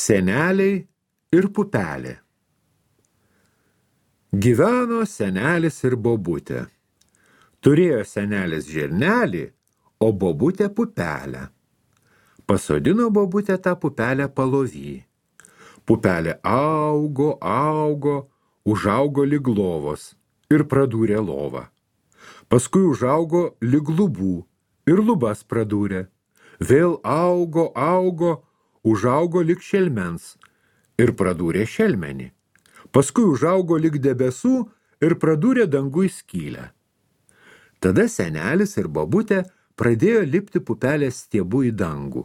Seneliai ir pupelė. Gyveno senelis ir bobutė. Turėjo senelis žirnelį, o bobutė pupelę. Pasodino bobutė tą pupelę palovy. Pupelė augo, užaugo lyg lovos ir pradūrė lovą. Paskui užaugo lyg lubų ir lubas pradūrė. Vėl augo, užaugo lyg šelmens ir pradūrė šelmenį. Paskui užaugo lyg debesų ir pradūrė dangui skylę. Tada senelis ir bobutė pradėjo lipti pupelės stiebu į dangų.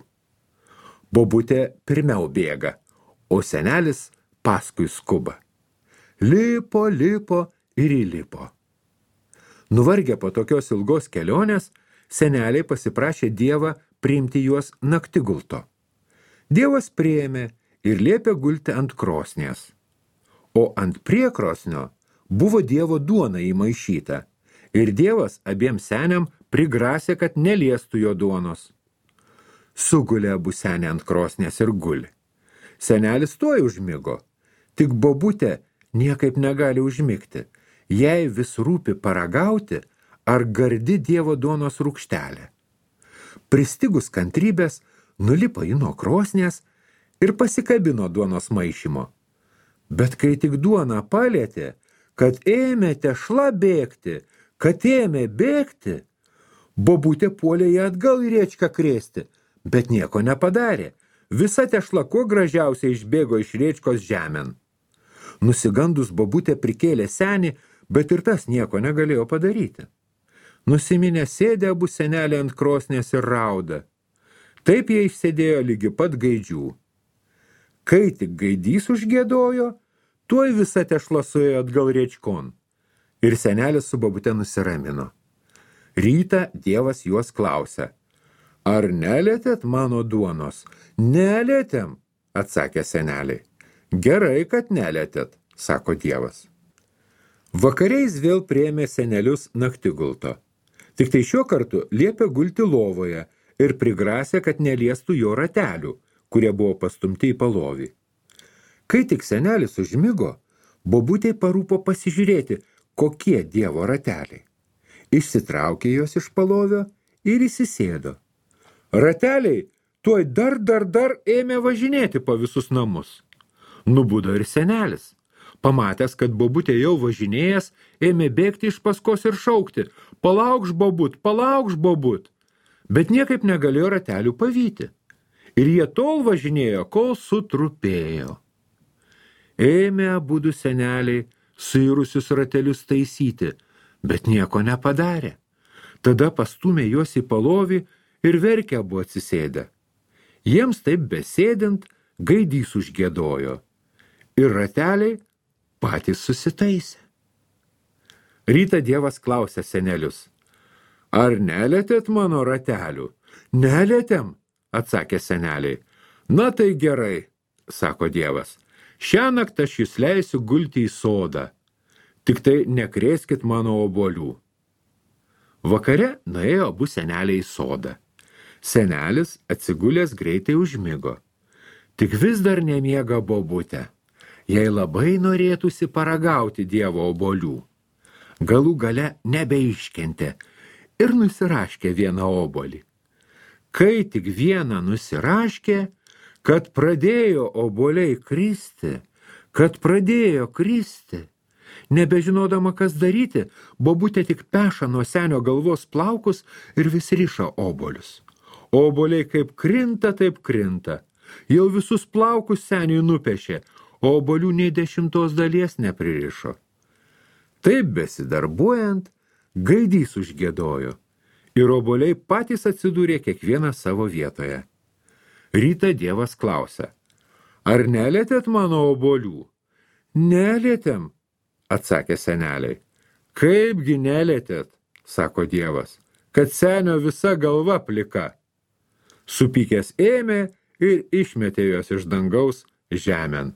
Bobutė pirmiau bėga, o senelis paskui skuba. Lipo ir įlipo. Nuvargę po tokios ilgos kelionės, seneliai pasiprašė Dievą priimti juos naktigulto. Dievas priėmė ir liepė gulti ant krosnies. O ant priekrosnio buvo Dievo duona įmaišyta, ir Dievas abiem seniam prigrasė, kad neliestų jo duonos. Sugulė abu seniai ant krosnės ir guli. Senelis tuoj užmigo, tik bobutė niekaip negali užmigti, jai vis rūpi paragauti, ar gardi Dievo duonos rūgštelė. Pristigus kantrybės, nulipo ji nuo krosnės ir pasikabino duonos maišymo. Bet kai tik duoną palietė, kad ėmė tešla bėgti, bobutė puolė ją atgal į riečką krėsti, bet nieko nepadarė. Visa tešla kuo gražiausiai išbėgo iš riečkos žemėn. Nusigandus bobutė prikėlė senį, bet ir tas nieko negalėjo padaryti. Nusiminę sėdė abu seneliai ant krosnės ir rauda. Taip jie išsėdėjo lygi pat gaidžių. Kai tik gaidys užgiedojo, tuoj visa tešla suėjo atgal riečkon. Ir senelis su bobute nusiramino. Rytą Dievas juos klausia: ar nelietėt mano duonos? Nelietėm, atsakė seneliai. Gerai, kad nelietėt, sako Dievas. Vakariais vėl priėmė senelius naktigulto. Tik tai šiuo kartu liepė gulti lovoje ir prigrasė, kad neliestų jo ratelių, kurie buvo pastumti į palovį. Kai tik senelis užmigo, bobutei parūpo pasižiūrėti, kokie Dievo rateliai. Išsitraukė jos iš palovio ir įsisėdo. Rateliai tuoj dar ėmė važinėti po visus namus. Nubudo ir senelis. Pamatęs, kad bobutė jau važinėjęs, ėmė bėgti iš paskos ir šaukti: palaukš bobut, bet niekaip negalėjo ratelių pavyti. Ir jie tol važinėjo, kol sutrupėjo. Ėmė abudu seneliai suirusius ratelius taisyti, bet nieko nepadarė. Tada pastūmė juos į palovį ir verkė abu atsisėdę. Jiems taip besėdint, gaidys užgiedojo. Ir rateliai patys susitaisė. Rytą Dievas klausė senelius: ar nelietėt mano ratelių? Nelietėm, atsakė seneliai. Na tai gerai, sako Dievas. Šiąnakt aš jūs leisiu gulti į sodą. Tik tai nekrėskit mano obuolių. Vakare nuėjo abu seneliai į sodą. Senelis atsigulęs greitai užmigo. Tik vis dar nemiega bobutė. Jai labai norėtųsi paragauti Dievo obuolių. Galų gale nebeiškentė ir nusiraškė vieną obuolį. Kai tik vieną nusiraškė, kad pradėjo obuoliai kristi, nebežinodama, kas daryti, bobutė tik peša nuo senio galvos plaukus ir vis riša obuolius. Obuoliai kaip krinta, taip krinta. Jau visus plaukus seniui nupešė, o obuolių nei 10 dalies nepririšo. Taip besidarbuojant, gaidys užgiedojo, ir obuoliai patys atsidūrė kiekvieną savo vietoje. Rytą Dievas klausia: ar nelietėt mano obuolių? Nelietėm, atsakė seneliai. Kaipgi nelietėt, sako Dievas, kad senio visa galva plika. Supykęs ėmė ir išmetė juos iš dangaus žemėn.